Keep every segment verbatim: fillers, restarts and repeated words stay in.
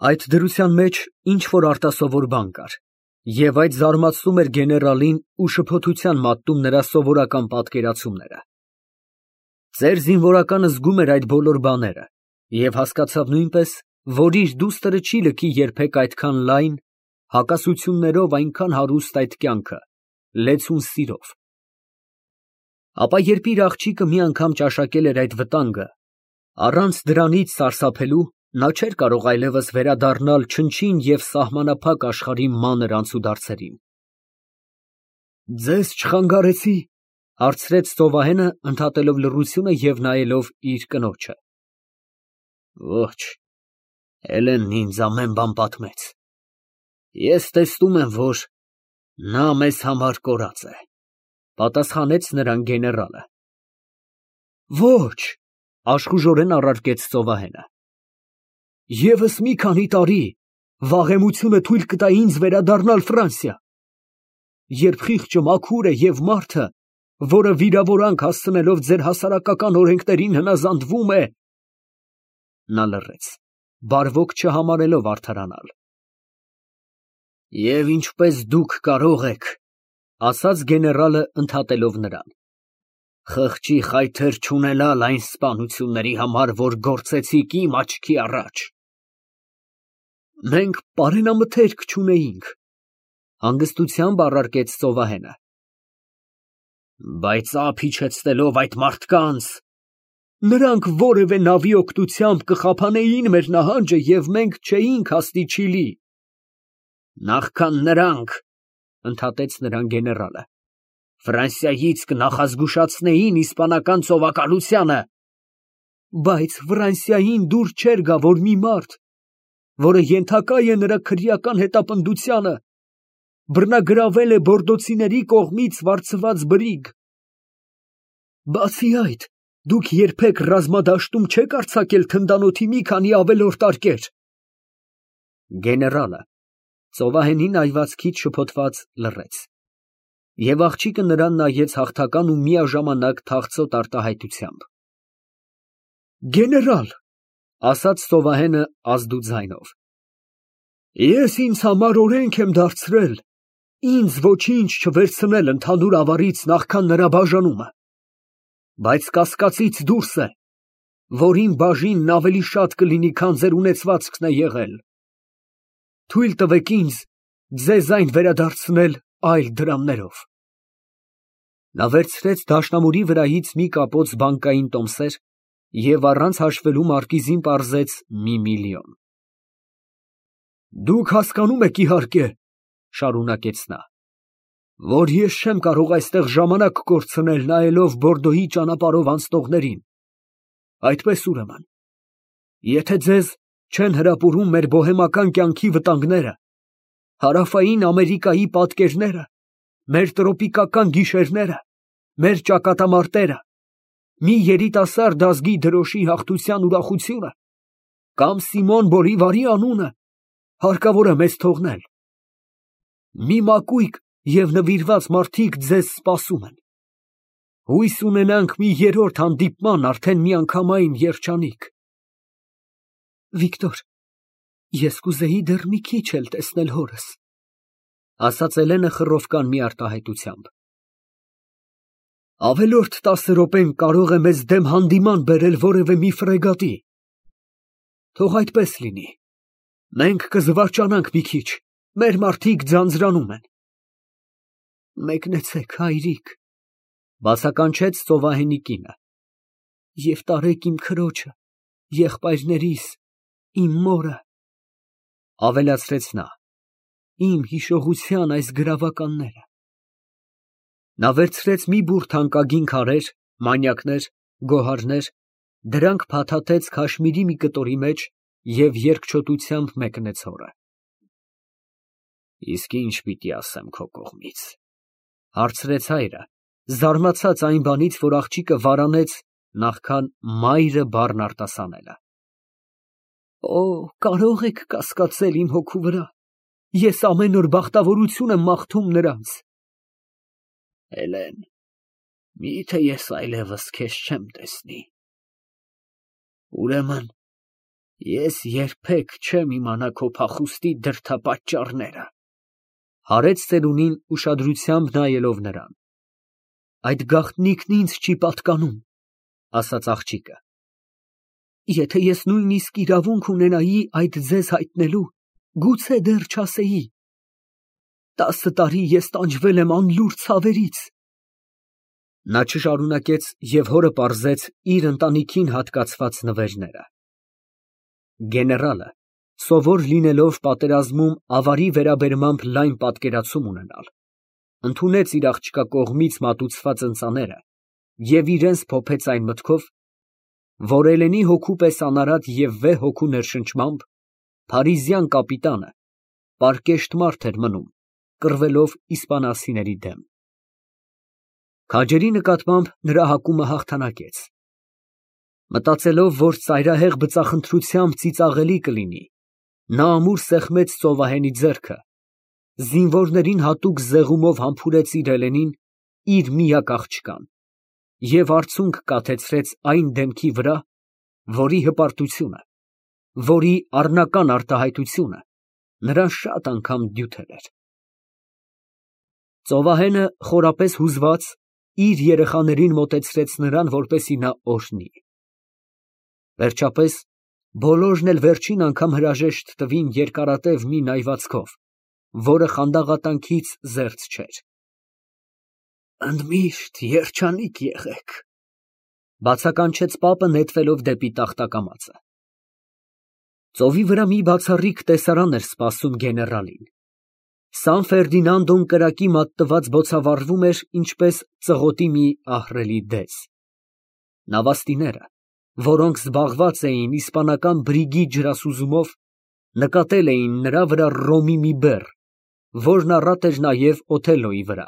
Այդ դրության մեջ ինչ֊որ արտասովոր բան կար, և այդ զարմացնում էր գեներալին ու շփոթության մատնում նրա սովորական պատկերացումները։ Ծեր զինվորականը զգում էր այդ բոլոր բաները և հասկացավ նույնպես, որ իր դուստրը չի լքի երբեք այդքան լայն, հակասություններով այնքան հարուստ այդ կյանքը, լեցուն սիրով։ Ապա երբ իր աղջիկը մի անգամ ճաշակել էր այդ վտանգը, առանց դրանից սարսափելու, նա չէր կարող այլևս վերադառնալ չնչին և սահմանափակ աշխարհի մանր անցուդարձերին։ «Ձեզ չխանգարեցի՞, ֊ հարցրեց ծովահենը, ընդհատելով լռությունը և նայելով իր կնոջը։ ֊ Ոչ, Հելենն ինձ ամեն բան պատմեց։ Ես տեսնում եմ, որ նա մեզ համար կորած է, ֊ պատասխանեց նրան գեներալը։ ֊ Ոչ, ֊ աշխուժորեն առարկեց ծովահենը, ֊ ևս մի քանի տարի վաղեմությունը թույլ կտա ինձ վերադառնալ Ֆրանսիա։ Երբ խիղճը մաքուր է և մարդը, որը վիրավորանք հասցնելով ձեր հասարակական օրենքներին հնազանդվում է… Նա լռեց, բարվոք չհամարելով արդարանալ։ Եվ ինչպես դուք կարող եք, ֊ ասաց գեներալը, ընդհատելով նրան, ֊ խղճի խայթեր չունենալ այն սպանությունների համար, որ գործեցիք իմ աչքի առաջ։ Մենք պարենամթերք չունեինք, ֊ հանգստությամբ առարկեց ծովահենը։ Բայց ափ իջեցնելով այդ մարդկանց… Նրանք որևէ նավի օգնությամբ կխափանեին մեր նահանջը, և մենք չէինք հասնի Չիլի։ Նախքան նրանք, ֊ ընդհատեց նրան գեներալը, Ֆրանսիայից կնախազգուշացնեին իսպանական ծովակալությանը։ Բայց Ֆրանսիային դուր չէր գա, որ մի մարդ, որը ենթակա է նրա քրեական հետապնդությանը, բռնագրավել է բորդոցիների կողմից վարձված բրիգ։ Բացի այդ, դուք երբեք ռազմադաշտում չեք արձակել թնդանոթի մի քանի ավելորդ արկեր։ Գեներալը ծովահենի նայվածքից շփոթված լռեց, և աղջիկը նրան նայեց հաղթական ու միաժամանակ թախծոտ արտահայտությամբ։ Գեներալ, ֊ ասաց ծովահենը ազդու ձայնով, ես ինձ համար օրենք եմ դարձրել ինձ ոչինչ չվերցնել ընդհանուր ավարից նախքան նրա բաժանումը, բայց կասկածից դուրս է, որ իմ բաժինն ավելի շատ կլինի, քան ձեր ունեցվածքն է եղել։ Թույլ տվեք ինձ ձեզ այն վերադարձնել այլ դրամներով։ Նա վերցրեց դաշնամուրի վրայից մի կապոց բանկային տոմսեր և առանց հաշվելու մարկիզին պարզեց մի միլիոն։ Դուք հասկանում եք, իհարկե, ֊ շարունակեց նա, ֊ որ ես չեմ կարող այստեղ ժամանակ կորցնել նայելով Բորդոյի ճանապարհով անցնողներին։ Այդպես, ուրեմն, եթե ձեզ չեն հրապուրում մեր բոհեմական կյանքի վտանգները, Հարավային Ամերիկայի պատկերները, մեր տրոպիկական գիշերները, մեր ճակատամարտերը, մի երիտասարդ ազգի դրոշի հաղթության ուրախությունը կամ Սիմոն Բոլիվարի անունը, հարկավոր է մեզ թողնել։ Մի մակույկ և նվիրված մարդիկ ձեզ սպասում են։ Հույս ունենանք մի երրորդ հանդիպման արդեն միանգամայն երջանիկ։ Վիկտոր, ես կուզեի դեռ մի քիչ էլ տեսնել հորս, ֊ ասաց Էլենը խռովկան մի արտահայտությամբ։ Ավելորդ տասը րոպեն կարող է մեզ դեմ հանդիման բերել որևէ մի ֆրեգատի։ Թող այդպես լինի, մենք կզվարճանանք մի քիչ, մեր մարդիկ ձանձրանում են։ Մեկնեցեք, հայրիկ, ֊ բացականչեց ծովահենի կինը, և տարեք իմ քրոջը, եղբայրներիս, իմ մորը, ֊ ավելացրեց նա, իմ հիշողության այս գրավականները։ Նա վերցրեց մի բուռ թանկագին քարեր, մանյակներ, գոհարներ, դրանք փաթաթեց քաշմիրի մի կտորի մեջ և երկչոտությամբ մեկնեց հորը։ Իսկ ի՞նչ պիտի ասեմ քո կողմից, ֊ հարցրեց հայրը, զարմացած այն բանից, որ աղջիկը վարանեց նախքան մայրը բառն արտասանելը։ Օ, կարող եք կասկածել իմ հոգու վրա, ես ամեն օր բախտավորություն եմ մաղթում նրանց։ Հելեն, մի՞թե ես այլևս քեզ չեմ տեսնի։ Ուրեմն Ես երբեք չեմ իմանա քո փախուստի դրդապատճառները։ Հարեց ծերունին ուշադրությամբ նայելով նրան։ Այդ գաղտնիքն ինձ չի պատկանում, ասաց աղջիկը։ Եթե ես նույնիսկ իրավունք ունենայի այդ ձեզ հայտնելու, գուցե դեռ չասեի։ Տասը տարի ես տանջվել եմ անլուր ցավերից։ Նա չշարունակեց և հորը պարզեց իր ընտանիքին հատկացված նվերները։ Գեներալը, սովոր լինելով պատերազմում ավարի վերաբերմամբ լայն պատկերացում ունենալ, ընդունեց իր աղջկա կողմից մատուցված ընծաները և իրենց փոփեց այն մտքով, որ Էլենի հոգու պես անարատ և վեհ հոգու ներշնչմամբ փարիզյան կապիտանը պարկեշտ մարդ էր մնում, կռվելով իսպանացիների դեմ։ Քաջերի նկատմամբ նրա հակումը հաղթանակեց։ Մտածելով, որ ծայրահեղ բծախնդրությամբ ծիծաղելի կլինի, նա ամուր սեղմեց ծովահենի ձեռքը, զինվորներին հատուկ զեղումով համբուրեց իր Էլենին, իր միակ աղջկան, և արցունք կաթեցրեց այն դեմքի վրա, որի հպարտությունը, որի առնական արտահայտությունը նրան շատ անգամ դյութել էր։ Ծովահենը խորապես հուզված իր երեխաներին մոտեցրեց նրան, որպեսզի նա օրհնի։ Վերջապես, բոլորն էլ վերջին անգամ հրաժեշտ տվին երկարատև մի նայվածքով, որը խանդաղատանքից զերծ չէր։ Ընդմիշտ երջանիկ եղեք, բացականչեց պապը նետվելով դեպի տախտակամածը։ Ծովի վրա մի բացառիկ տեսարան էր սպասում գեներալին։ Սան Ֆերդինանդոն կրակի մատնված բոցավառվում էր, ինչպես ծղոտի մի ահռելի դես։ Նավաստիները, որոնք զբաղված էին իսպանական բրիգի ջրասուզումով, նկատել էին նրա վրա ռոմի մի բեռ, որն առատ էր նաև Օթելլոյի վրա,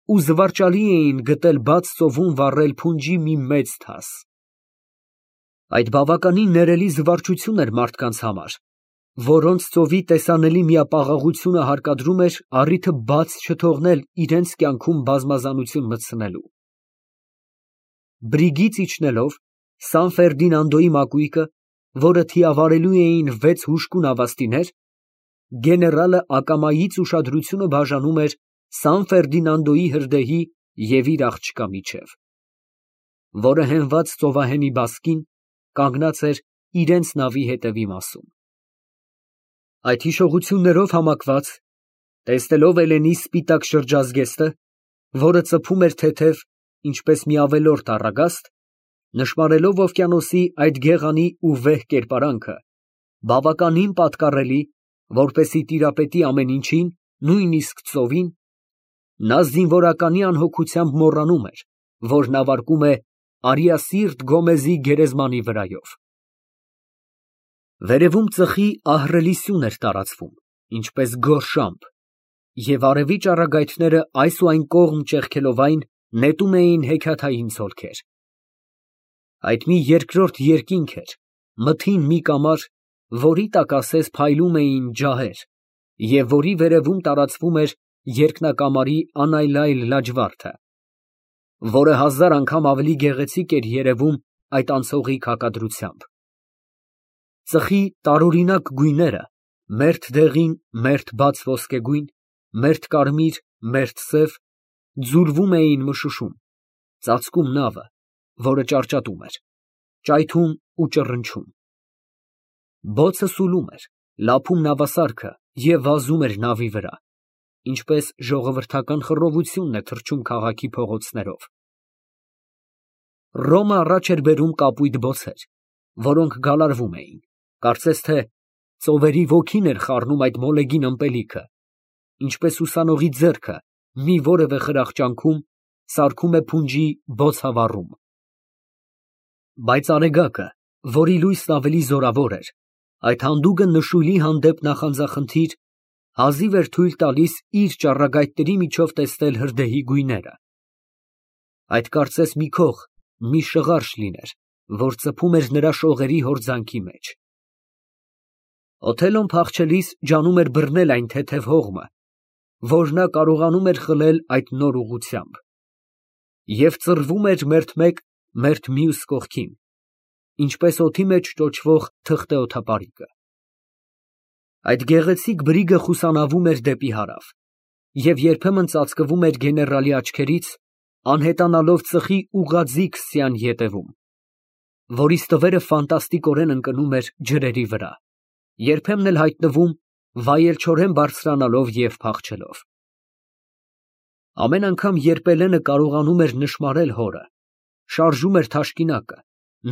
ու զվարճալի էին գտել բաց ծովում վառել փունջի մի մեծ թաս։ Այդ բավականին ներելի զվարճություն էր մարդկանց համար, որոնց ծովի տեսանելի միապաղաղությունը հարկադրում էր առիթը բաց չթողնել իրենց կյանքում բազմազանություն մտցնելու։ Բրիգից իջնելով, Սան Ֆերդինանդոյի մակույկը, որը թիավարելու էին վեց հուժկու նավաստիներ, գեներալը ակամայից ուշադրությունը բաժանում էր Սան Ֆերդինանդոյի հրդեհի և իր աղջկա միջև, որը հենված ծովահենի բասկին կանգնած էր իրենց նավի հետևի մասում։ Այդ հիշողություններով համակված, տեսնելով Էլենի սպիտակ շրջազգեստը, որը ծփում էր թեթև, ինչպես մի ավելորդ առագաստ, նշմարելով օվկիանոսի այդ գեղանի ու վեհ կերպարանքը, բավականին պատկառելի, որպեսզի տիրապետի ամեն ինչին, նույնիսկ ծովին, նա զինվորականի անհոգությամբ մոռանում էր, որ նավարկում է Արիասիրտ Գոմեզի գերեզմանի վրայով։ Վերևում ծխի ահռելի սյուն էր տարածվում, ինչպես գորշամփ, և արևի ճառագայթները այս ու այն կողմ ճեղքելով այն, նետում էին հեքիաթային ցոլքեր։ Այդ մի երկրորդ երկինք էր, մթին մի կամար, որի տակ ասես փայլում էին ջահեր, և որի վերևում տարածվում էր երկնակամարի անայլայլ լաջվարդը, որը հազար անգամ ավելի գեղեցիկ էր երևում այդ անցողիկ հակադրությամբ։ Ծխի տարօրինակ գույները, մերթ դեղին, մերթ բաց ոսկեգույն, մերթ կարմիր, մերթ սև, ձուլվում էին մշուշում, ծածկում նավը, որը ճարճատում էր, ճայթում ու ճռնչում։ Բոցը սուլում էր, լափում նավասարքը և վազում էր նավի վրա, ինչպես ժողովրդական խռովությունն է թռչում քաղաքի փողոցներով։ Ռոմը առաջ էր բերում կապույտ բոցեր, որոնք գալարվում էին, կարծես թե ծովերի ոգին էր խառնում այդ մոլեգին ըմպելիքը, ինչպես ուսանողի ձեռքը մի որևէ խրախճանքում սարքում է փունջի բոցավառում։ Բայց Արեգակը, որի լույսն ավելի զորավոր էր, այդ հանդուգն նշույլի հանդեպ նախանձախնդիր, հազիվ էր թույլ տալիս իր ճառագայթների միջով տեսնել հրդեհի գույները։ Այդ կարծես մի քող, մի շղարշ լիներ, որ ծփում էր նրա շողերի հորձանքի մեջ։ Օթելլոն փախչելիս ջանում էր բռնել այն թեթև հողմը, որ նա կարողանում էր խլել այդ նոր ուղղությամբ, և ծռվում էր մերթ մեկ, մերթ մյուս կողքին, ինչպես օդի մեջ ճոճվող թղթե օդապարիկը։ Այդ գեղեցիկ բրիգը խուսանավում էր դեպի հարավ և երբեմն ծածկվում էր գեներալի աչքերից, անհետանալով ծխի ուղղաձիգ սյան ետևում, որի ստվերը ֆանտաստիկորեն ընկնում էր ջրերի վրա, երբեմն էլ հայտնվում վայելչորեն բարձրանալով և փախչելով։ Ամեն անգամ, երբ Էլենը կարողանում էր նշմարել հորը, շարժում էր թաշկինակը,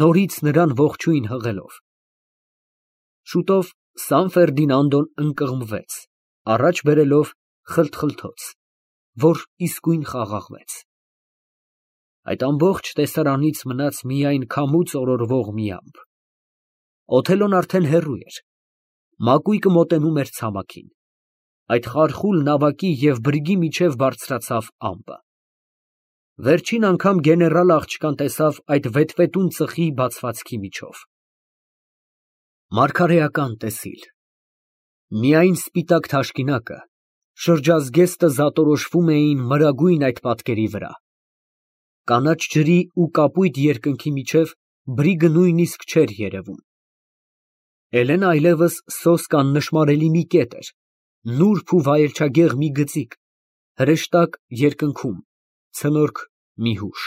նորից նրան ողջույն հղելով։ Շուտով Սան Ֆերդինանդոն ընկղմվեց, առաջ բերելով խլթխլթոց, որ իսկույն խաղաղվեց։ Այդ ամբողջ տեսարանից մնաց միայն քամուց օրորվող մի ամպ։ Օթելոն արդեն հեռու էր, մակույկը մոտենում էր ցամաքին, այդ խարխուլ նավակի և բրիգի միջև բարձրացավ ամպը։ Վերջին անգամ գեներալը աղջկան տեսավ այդ վետվետուն ծխի բացվածքի միջով։ Մարգարեական տեսիլ։ Միայն սպիտակ թաշկինակը, շրջազգեստը զատորոշվում էին մրագույն այդ պատկերի վրա։ Կանաչ ջրի ու կապույտ երկնքի միջև բրիգը նույնիսկ չէր երևում։ Էլենը այլևս սոսկ աննշմարելի մի կետ էր, նուրբ ու վայելչագեղ մի գծիկ, հրեշտակ երկնքում, ցնորք մի հուշ։